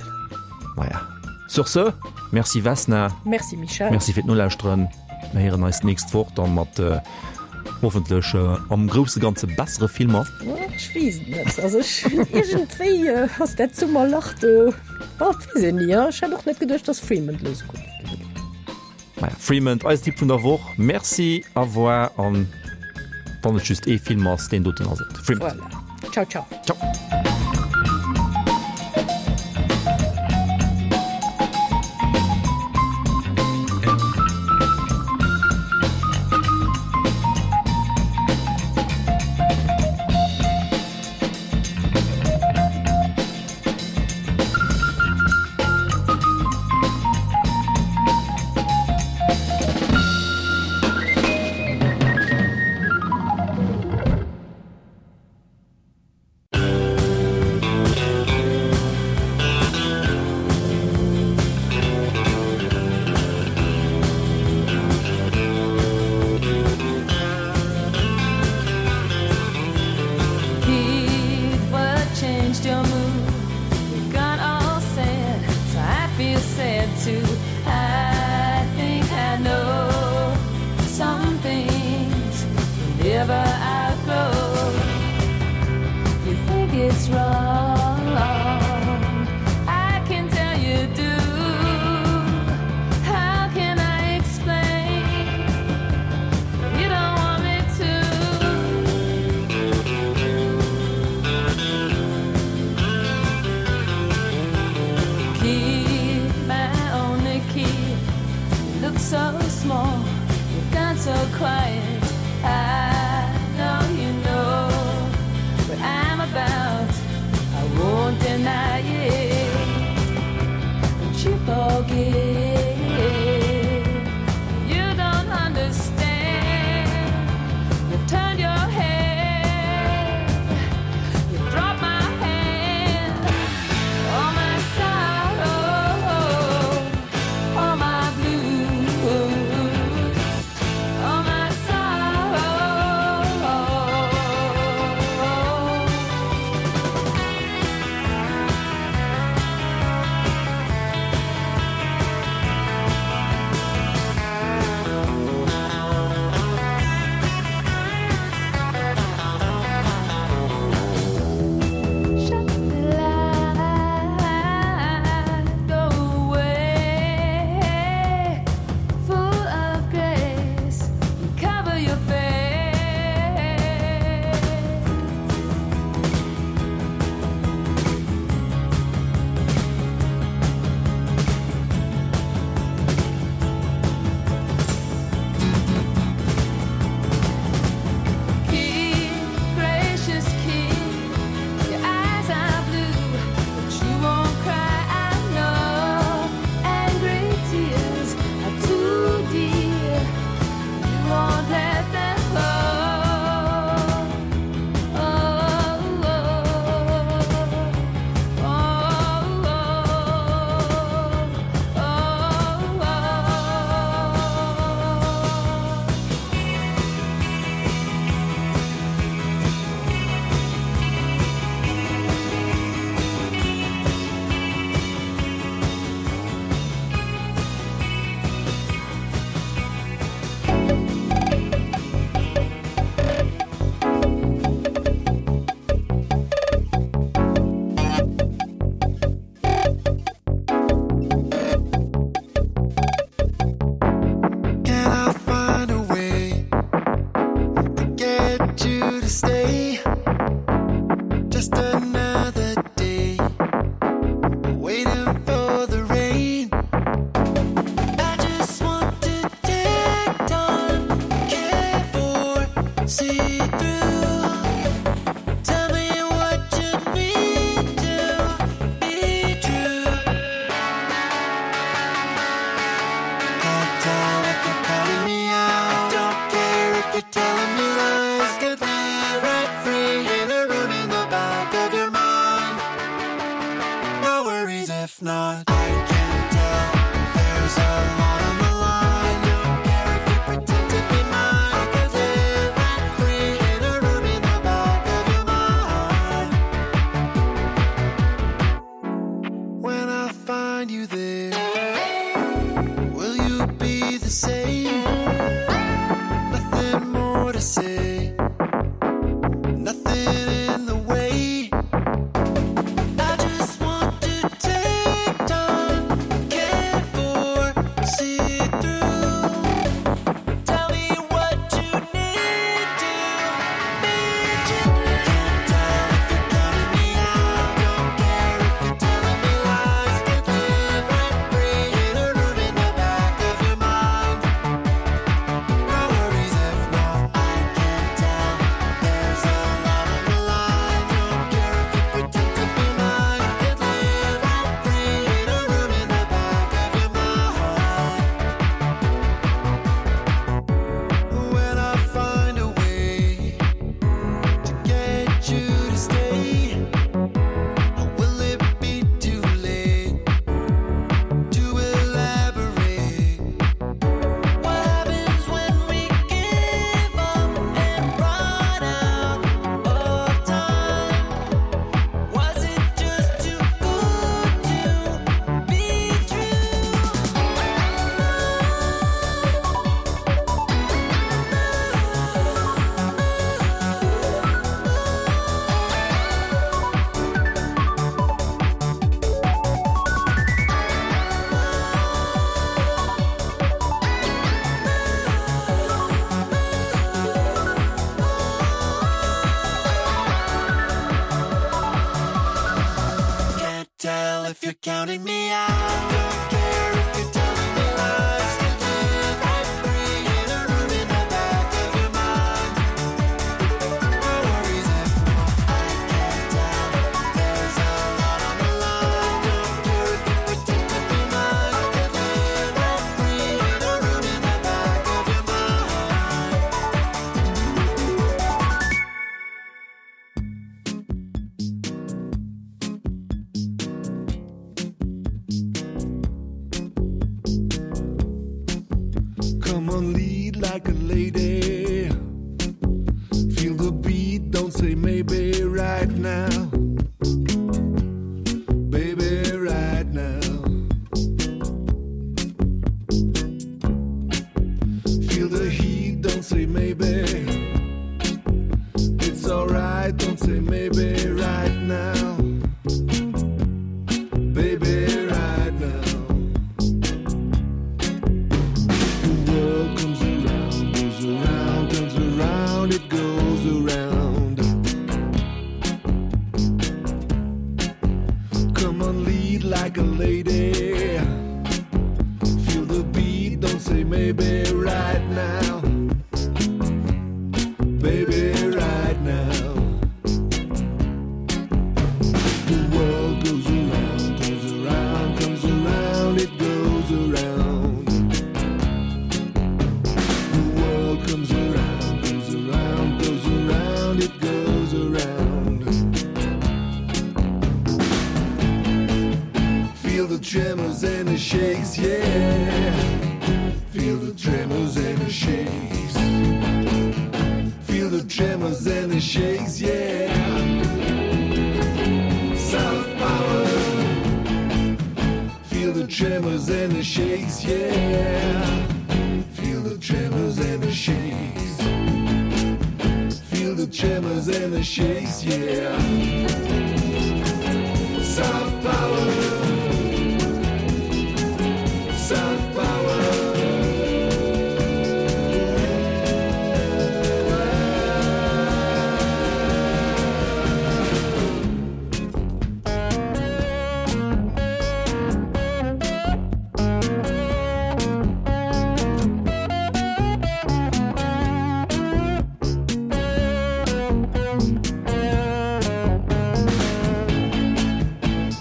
Maja, sur ce, merci Vesna. Merci Michèle. Merci fir d'Nolauschteren. Mir héieren eis d'nächst Woch dann mat hoffentlech am grousse Ganze bessere Filmer. Ech weess et net. Also ech iergendwéi ass dat Summerlach do, bon, et weess een ni, ech hätt och net geduecht, dass Fremont elo esou gutt wier. Maja, Fremont, eisen Tipp vun der Woch. Merci, au revoir an wann et just ee Film ass, deen doten ass et. Fremont. Voilà. Ciao, ciao. Ciao. Counting me out. Don't care if you're telling me lies. You live rent free in a room in the back of your mind. No worries if I can't tell. There's a lot on the line. Don't care if you pretend to be mine. I could live rent free in a room in the back of your mind. Come on lead like a lady Feel the beat, don't say maybe right now Baby right now Feel the heat, don't say maybe It's all right, don't say maybe right now Baby right now The world comes around, goes around, turns around, it goes around Come on lead like a lady Feel the beat, don't say maybe right now Baby right now The world goes around, turns around, comes around, it goes around The world comes around, goes around, goes around, it goes around Feel the tremors and the shakes, yeah Feel the tremors and the shakes Feel the tremors and the shakes, yeah South power Feel the tremors and the shakes, yeah Feel the tremors and the shakes Feel the tremors and the shakes, yeah South power South power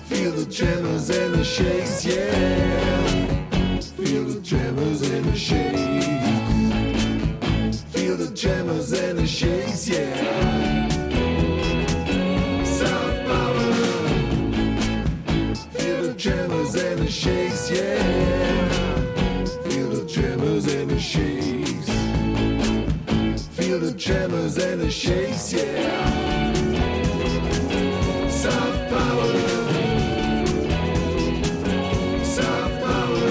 Feel the tremors and the shakes, yeah. Feel the tremors and the shakes. Feel the tremors and the shakes, yeah. South power. Feel the tremors and the shakes, yeah. Feel the tremors and the shakes. Feel the tremors and the shakes, yeah. South power. South power.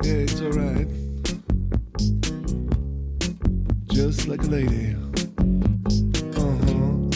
Yeah, it's all right. Just like a lady. Uh-huh.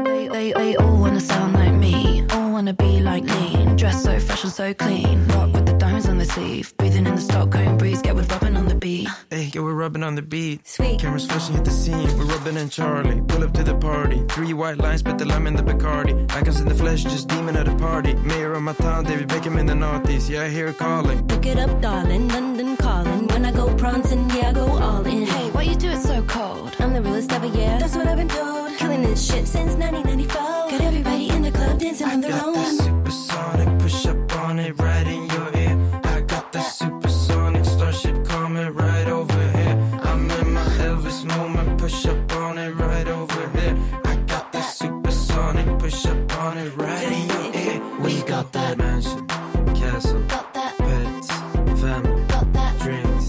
They, they, they all wanna sound like me, all wanna be like me. Dress so fresh and so clean, rock with the diamonds on the sleeve. Breathing in the Stockholm breeze, get with rubbing on the beat. Hey, yeah, we're rubbing on the beat. Sweet. Cameras flashing at the scene. We're rubbing and Charlie. Pull up to the party. Three white lines, but the lime in the Bacardi. Icons in the flesh, just demon at a party. Mayor of my town, David Beckham in the Northeast. Yeah, I hear her calling. Pick it up, darling. London calling. When I go prancing, yeah, I go all in. Hey, why you do it so cold? I'm the realest ever, yeah. That's what I've been told. Killing this shit since 1994. Got everybody in the club dancing I on their got own. that supersonic push up on it right in your ear. I got that supersonic starship coming right over here. I'm in my Elvis moment, push up on it right over here. I got that supersonic push up on it right in your ear. We got that mansion, castle, got that pets, family, got that drinks,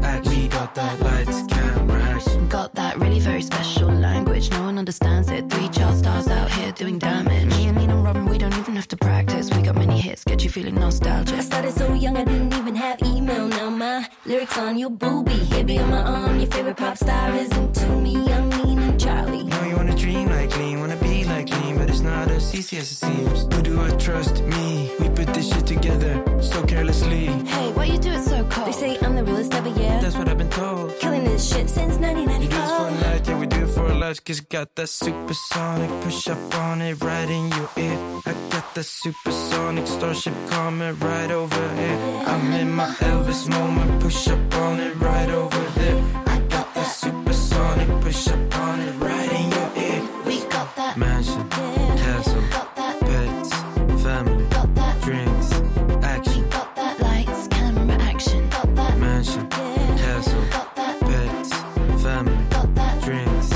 action. We got that lights, camera, action. Got that really very special language. No one understands it. 3. Child stars out here doing damage. Me and Nina Robin, we don't even have to practice. We got many hits, get you feeling nostalgic. I started so young, I didn't even have email. Now my lyrics on your boobie. Baby on my arm, your favorite pop star isn't to me. I'm Lean and Charlie. Know you wanna dream like lean, wanna be like lean, but it's not as easy as it seems. Who do I trust? Me. We put this shit together so carelessly. Hey, why you do it so cold? They say I'm the realest ever, yeah. That's what I've been told. Killing this shit since You do this for 1994. life, yeah, we do it for life. Cause got that supersonic push up on it right in your ear. I got that supersonic starship coming right over here. I'm in my Elvis moment, push up on it right over there. I got that supersonic push up on it right in your ear. We got that mansion, castle, pets, family, drinks, action. Got that lights, camera, action. Got that mansion, castle, pets, family, drinks,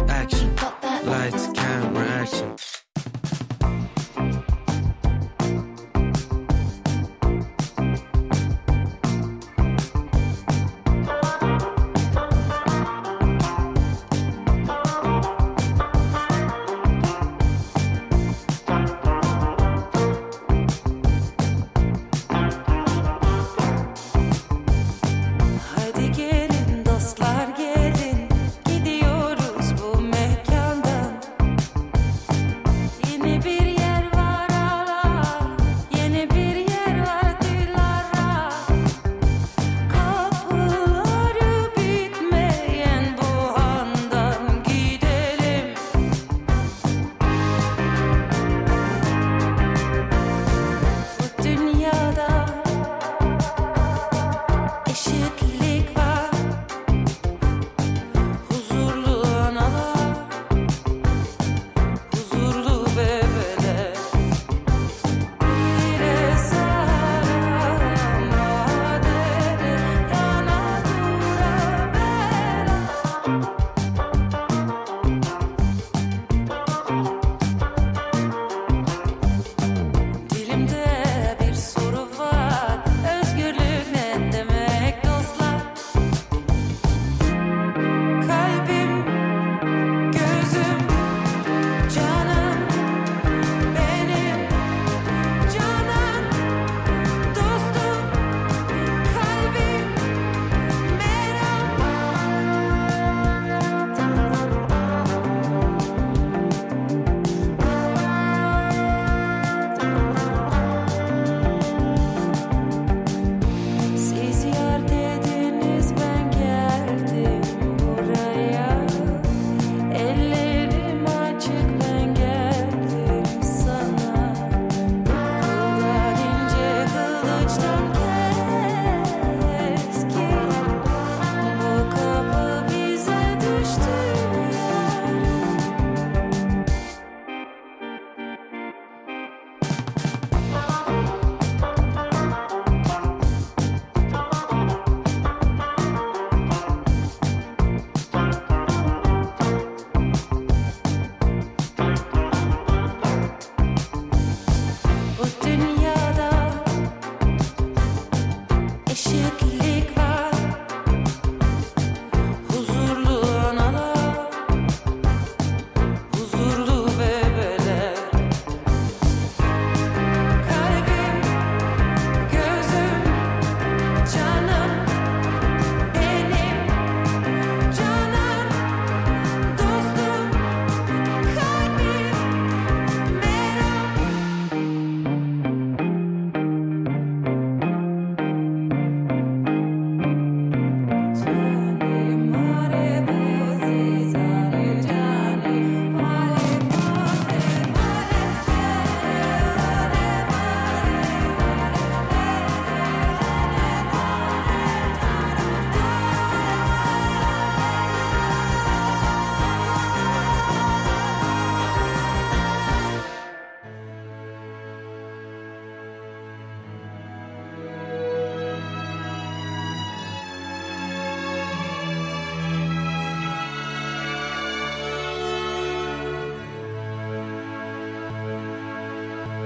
action, lights, camera, action. Haydi gelin dostlar gelin gidiyoruz bu mekandan Yeni bir yer var ara yeni bir yer var Dilara Kapıları bitmeyen bu handan gidelim Bu dünyada Eşitlik var Huzurlu analar Huzurlu bebeler Bir esara madere Yana dura bela Dilimde bir soru var Özgürlük ne demek dostlar Kalbim, gözüm, canım benim Canan, dostum, kalbim, Siz yar dediniz ben geldim buraya Ellerim açık ben geldim sana Kıldan ince kılıçtan keskin Bu kapı bize düştü yar Bu dünyada eşitlik var Huzurlu analar huzurlu bebeler Kalbim, gözüm, canım benim Canan, dostum, kalbim, merak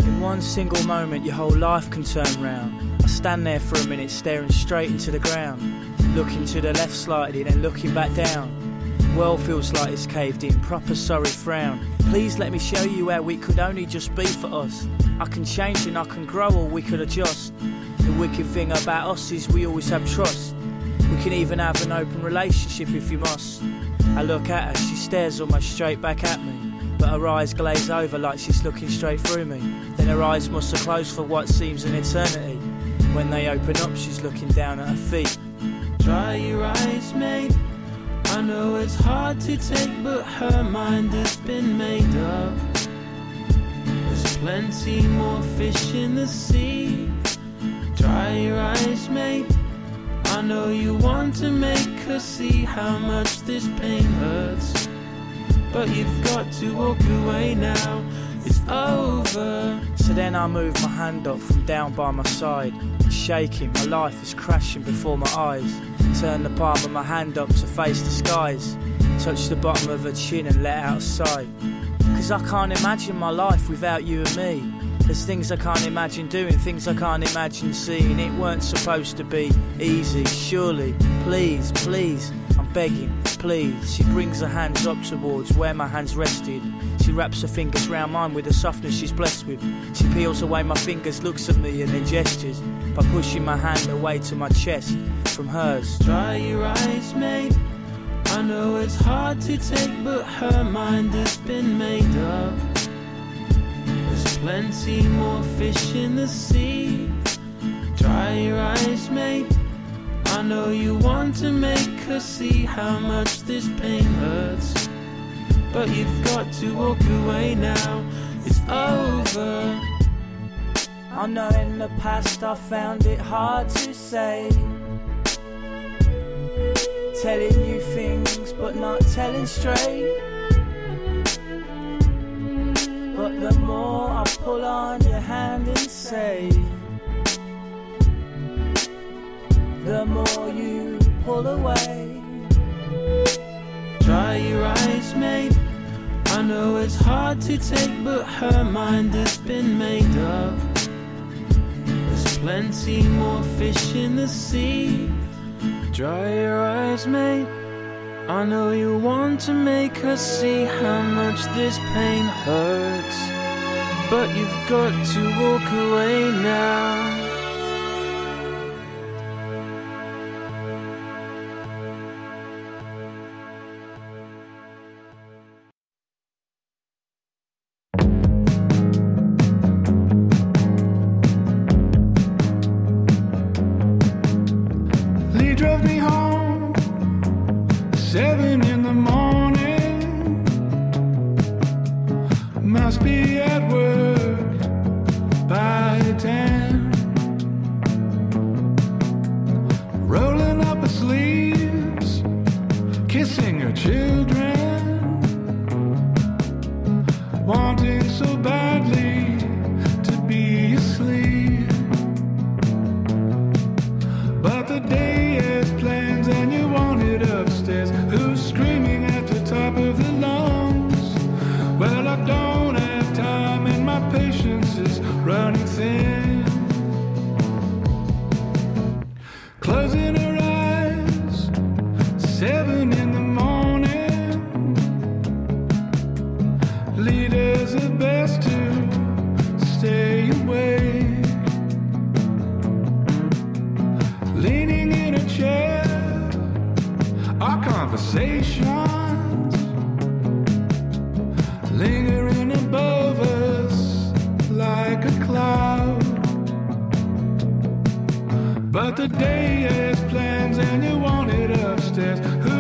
In one single moment, your whole life can turn round. I stand there for a minute, staring straight into the ground, looking to the left slightly, then looking back down. World feels like it's caved in, proper sorry frown. Please let me show you how we could only just be for us. I can change and I can grow or we could adjust. The wicked thing about us is we always have trust. We can even have an open relationship if you must. I look at her, she stares almost straight back at me. But her eyes glaze over like she's looking straight through me. Then her eyes must have closed for what seems an eternity. When they open up, she's looking down at her feet. Dry your eyes, mate. I know it's hard to take, but her mind has been made up. There's plenty more fish in the sea. Dry your eyes, mate. I know you want to make her see how much this pain hurts. But you've got to walk away now. It's over. So then I move my hand up from down by my side. Shaking, my life is crashing before my eyes. Turn the palm of my hand up to face the skies. Touch the bottom of her chin and let out a sigh. Cause I can't imagine my life without you and me. There's things I can't imagine doing, things I can't imagine seeing. It weren't supposed to be easy, surely. Please, please, I'm begging, please. She brings her hands up towards where my hands rested. She wraps her fingers round mine with the softness she's blessed with. She peels away my fingers, looks at me and then gestures by pushing my hand away to my chest from hers. Dry your eyes, mate. I know it's hard to take, but her mind has been made up. There's plenty more fish in the sea. Dry your eyes, mate. I know you want to make her see how much this pain hurts. But you've got to walk away now. It's over. I know in the past I found it hard to say. Telling you things but not telling straight. But the more I pull on your hand and say, the more you pull away. Dry your eyes, mate. I know it's hard to take, but her mind has been made up. There's plenty more fish in the sea. Dry your eyes, mate. I know you want to make her see how much this pain hurts. But you've got to walk away now. Lee drove me home seven in the morning must be at work by ten rolling up her sleeves kissing her children wanting so badly to be asleep but the day has plans and you want it upstairs who's screaming at the top of the lungs well I don't have time and my patience is running thin closing her eyes seven in the morning leaders are best to stay awake leaning in a chair our conversations lingering above us like a cloud but the day has plans and you want it upstairs who.